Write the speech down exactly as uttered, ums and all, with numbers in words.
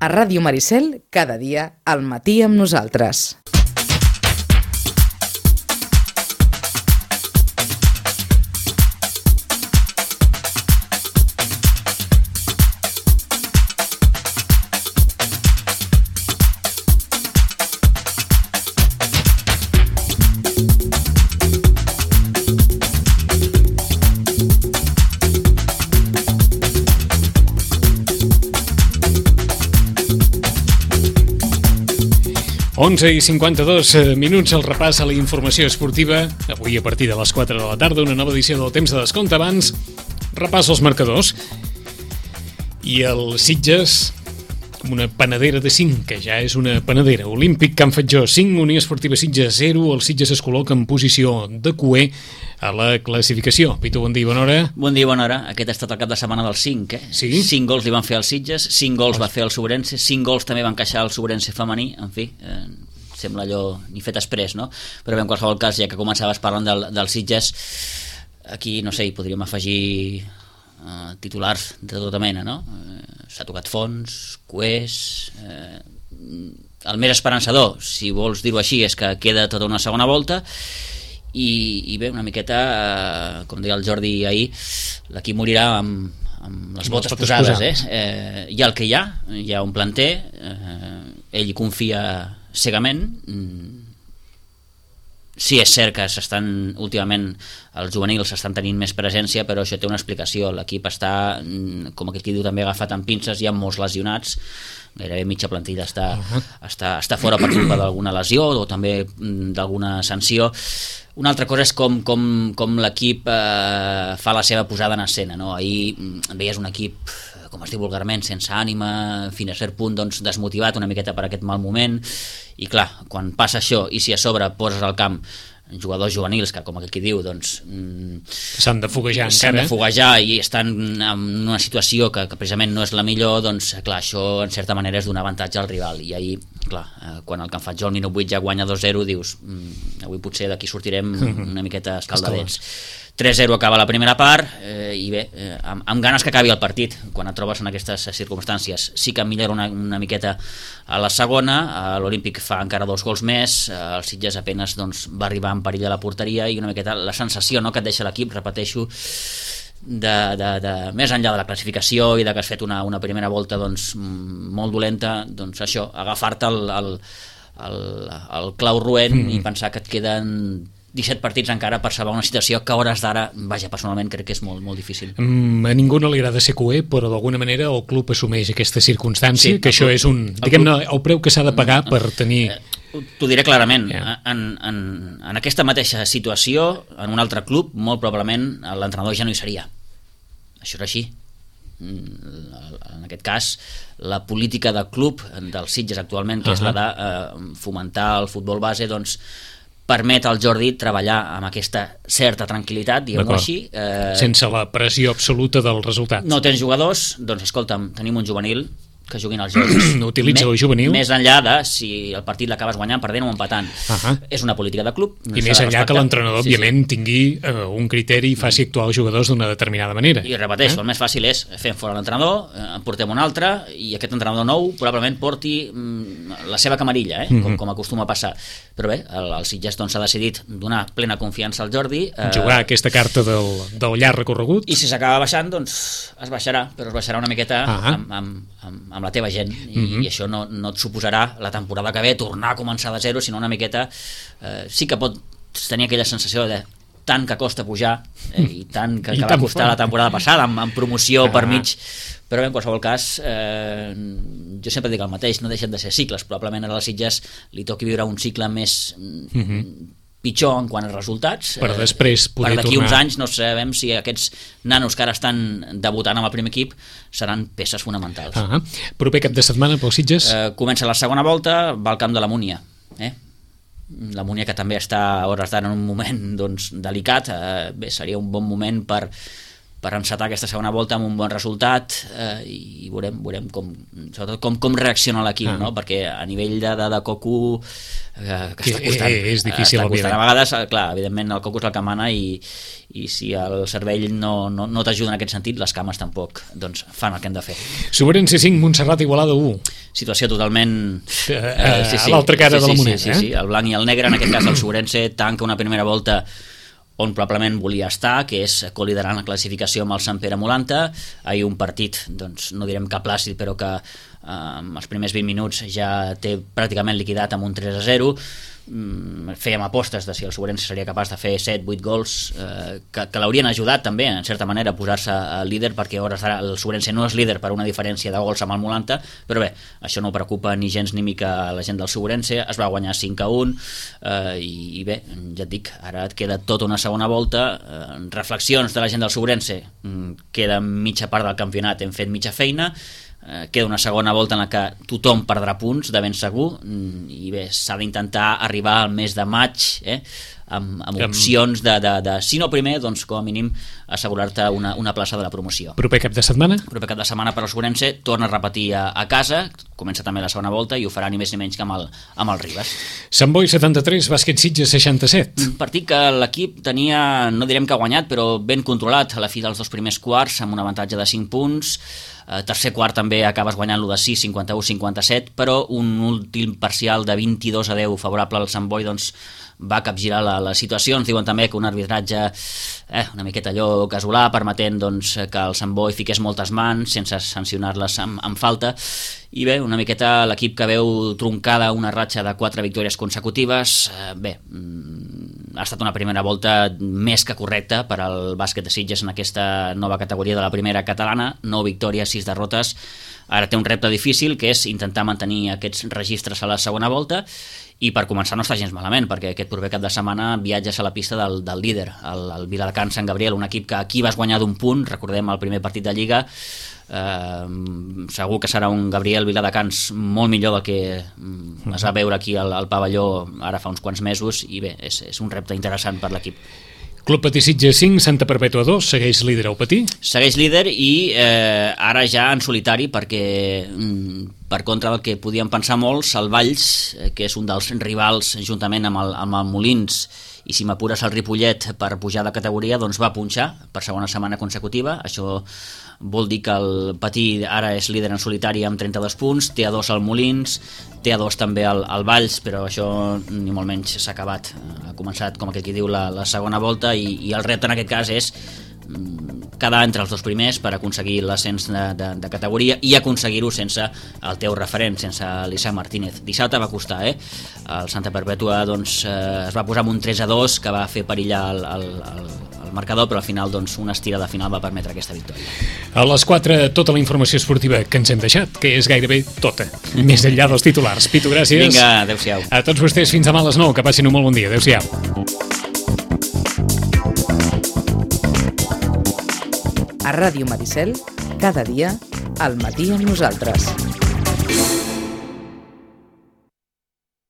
A Ràdio Maricel, cada dia, al matí amb nosaltres. onze i cinquanta-dos minuts, el repàs a la informació esportiva. Avui a partir de les quatre de la tarda, una nova edició del Temps de Descompte. Abans, repàs als marcadors. I el Sitges, com una panadera de cinc, que ja és una panadera. Olímpic Can Fatjó cinc, Unió Esportiva Sitges zero. El Sitges es col·loca en posició de cuer a la classificació. Pitu, bon dia i bona hora. Bon dia i bona hora. Aquest ha estat el cap de setmana del cinc, eh? Sí? cinc gols li van fer als Sitges, cinc gols va fer el Sobrense, cinc gols també van encaixar el Sobrense femení, en fi, eh, sembla allò ni fet exprés, no? Però bé, en qualsevol cas, ja que començaves parlant del, del Sitges, aquí, no sé, hi podríem afegir eh, titulars de tota mena, no? Eh, s'ha tocat fons, cuers... Eh, el més esperançador, si vols dir-ho així, és que queda tota una segona volta. I, i bé, una miqueta, eh, com deia el Jordi ahir, l'equip morirà amb, amb les botes posades, eh? Eh, hi ha el que hi ha, hi ha un planter, eh, ell hi confia cegament. Sí, és cert que s'estan, últimament els juvenils estan tenint més presència, però això té una explicació. L'equip està, com aquell qui diu, també agafat amb pinces, hi ha molts lesionats, gairebé mitja plantilla està, uh-huh. està, està fora per culpa d'alguna lesió o també d'alguna sanció. Una altra cosa és com, com, com l'equip eh, fa la seva posada en escena, no? Ahir veies un equip, com es diu vulgarment, sense ànima, fins a cert punt doncs, desmotivat una miqueta per aquest mal moment, i clar, quan passa això i si a sobre poses al camp jugadors juvenils que, com aquí diu, doncs s'han de foguejar s'han encara de foguejar i estan en una situació que, que precisament no és la millor, doncs clar, això en certa manera és donar avantatge al rival. I ahir, clar, quan el Can Fatjó al minut vuit ja guanya dos zero, dius mmm, avui potser d'aquí sortirem una miqueta escaldadets. tres zero acaba la primera part, eh, i bé, eh, amb, amb ganes que acabi el partit. Quan et trobes en aquestes circumstàncies sí que millora una, una miqueta a la segona. eh, l'Olímpic fa encara dos gols més, eh, el Sitges apenas doncs, va arribar en perill a la porteria, i una miqueta la sensació, no?, que et deixa l'equip, repeteixo, de, de, de, més enllà de la classificació i de que has fet una, una primera volta doncs, molt dolenta, doncs això, agafar-te el, el, el, el clau roent mm. i pensar que et queden disset partits encara per salvar una situació que a hores d'ara, vaja, personalment crec que és molt, molt difícil. Mm, a ningú no li agrada ser cuer, però d'alguna manera el club assumeix aquesta circumstància, sí, que això club, és un, diguem-ne, el preu que s'ha de pagar per tenir... Eh, t'ho diré clarament, yeah. en, en, en aquesta mateixa situació, en un altre club, molt probablement l'entrenador ja no hi seria. Això és així. En aquest cas, la política del club, del Sitges actualment, que uh-huh. és la de eh, fomentar el futbol base, doncs permet al Jordi treballar amb aquesta certa tranquil·litat, diguem-ho així. Eh, Sense la pressió absoluta del resultat. No tens jugadors, doncs escolta'm, tenim un juvenil que juguin als jocs. Utilitza el juvenil. Més enllà de si el partit l'acabes guanyant, perdent o empatant. Uh-huh. És una política de club. I més enllà que l'entrenador, sí, òbviament, sí. tingui uh, un criteri i faci actuar els jugadors d'una determinada manera. I repeteixo, eh? el més fàcil és fem fora l'entrenador, en portem un altre, i aquest entrenador nou probablement porti mm, la seva camarilla, eh? com, uh-huh. com acostuma a passar. Però bé, el, el Sitges doncs, s'ha decidit donar plena confiança al Jordi. Eh, Jugar aquesta carta del, del llarg recorregut. I si s'acaba baixant, doncs es baixarà, però es baixarà una miqueta uh-huh. amb, amb, amb, amb la teva gent. I, uh-huh. i això no, no et suposarà la temporada que ve tornar a començar de zero, sinó una miqueta eh, sí que pot tenir aquella sensació de tant que costa pujar eh, i tant que, I que va costar la temporada passada amb, amb promoció ah. per mig, però bé, en qualsevol cas eh, jo sempre dic el mateix, no deixen de ser cicles, probablement ara a les Sitges li toqui viure un cicle més uh-huh. pitjor en quant a resultats, per després poder per d'aquí tornar. uns anys no sabem si aquests nanos que ara estan debutant amb el primer equip seran peces fonamentals. Ah, proper cap de setmana pels Sitges? Eh, comença la segona volta, va al camp de la Múnia, eh? la Múnia que també està a hores d'ara en un moment doncs, delicat, eh, bé, seria un bon moment per per encetar aquesta segona volta amb un bon resultat eh, i veurem, veurem com, sobretot com, com reacciona l'equip, ah. no? Perquè a nivell de, de, de Cocu eh, que està costant, eh, és difícil, està costant. A vegades, clar, evidentment el Cocu és el que mana i, i si el cervell no, no, no t'ajuda en aquest sentit, les cames tampoc doncs, fan el que hem de fer. Sobrense cinc, Montserrat Igualada u. Situació totalment eh, eh, sí, sí. a l'altra cara sí, de la sí, moneda. Sí, sí, sí, el blanc i el negre, en aquest cas el Sobrense tanca una primera volta on probablement volia estar, que és col·liderant la classificació amb el Sant Pere Molanta. Ahir un partit, doncs no direm que plàcid, però que eh, els primers vint minuts ja té pràcticament liquidat amb un tres a zero. Mm, fèiem apostes de si el Sobrense seria capaç de fer set vuit gols eh, que, que l'haurien ajudat també en certa manera a posar-se líder, perquè a hores d'ara el Sobrense no és líder per una diferència de gols amb el Molanta, però bé, això no preocupa ni gens ni mica la gent del Sobrense. Es va guanyar cinc a un eh, i, i bé, ja et dic, ara et queda tota una segona volta, eh, reflexions de la gent del Sobrense, mm, queda mitja part del campionat, hem fet mitja feina, Eh, queda una segona volta en la que tothom perdrà punts de ben segur i bé, s'ha d'intentar arribar al mes de maig eh, amb, amb opcions de, de, de, si no primer, doncs com a mínim assegurar-te una, una plaça de la promoció. Proper cap de setmana? Proper cap de setmana per al Sobrense, torna a repetir a, a casa, comença també la segona volta i ho farà ni més ni menys que amb el, amb el Ribes. Sant Boi setanta-tres, Bàsquet Sitges seixanta-set. Un partit que l'equip tenia, no direm que ha guanyat, però ben controlat a la fi dels dos primers quarts, amb un avantatge de cinc punts. Uh, tercer quart també acabes guanyant-lo de sis, cinquanta-u a cinquanta-set, però un últim parcial de vint-i-dos a deu favorable al Sant Boi doncs, va capgirar la, la situació. Ens diuen també que un arbitratge eh, una miqueta allò casolà, permetent doncs, que el Sant Boi fiqués moltes mans sense sancionar-les amb, amb falta, i bé, una miqueta l'equip que veu troncada una ratxa de quatre victòries consecutives. eh, bé, ha estat una primera volta més que correcta per al bàsquet de Sitges en aquesta nova categoria de la primera catalana, nou victòries, sis derrotes. Ara té un repte difícil, que és intentar mantenir aquests registres a la segona volta, i per començar no està gens malament, perquè aquest proper cap de setmana viatges a la pista del, del líder, el, el Viladecans Sant Gabriel, un equip que aquí vas guanyar d'un punt, recordem el primer partit de Lliga. Eh, segur que serà un Gabriel Viladecans molt millor del que es va veure aquí al, al pavelló ara fa uns quants mesos, i bé, és, és un repte interessant per l'equip. Club Patí Sitges cinc, Santa Perpètua dos, segueix líder el Patí? Segueix líder i eh, ara ja en solitari, perquè mm, per contra del que podien pensar molts, el Valls, eh, que és un dels rivals juntament amb el, amb el Molins, i si m'apures el Ripollet per pujar de categoria, doncs va punxar per segona setmana consecutiva. Això vol dir que el Patí ara és líder en solitari amb trenta-dos punts, té a dos el Molins, té a dos també el, el Valls, però això ni molt menys s'ha acabat. Ha començat, com aquell qui diu, la, la segona volta, i, i el repte en aquest cas és quedar entre els dos primers per aconseguir l'ascens de, de, de categoria, i aconseguir-ho sense el teu referent, sense l'Isaac Martínez. Dissabte va costar, eh? El Santa Perpètua doncs, eh, es va posar amb un tres a dos que va fer perillar el, el, el, el marcador, però al final doncs, una estirada final va permetre aquesta victòria. A les quatre, tota la informació esportiva que ens hem deixat, que és gairebé tota, més enllà dels titulars. Pitu, gràcies. Vinga, adeu-siau. A tots vostès, fins demà a les nou, que passin un molt bon dia. Adeu-siau. A Ràdio Maricel, cada dia, al matí amb nosaltres.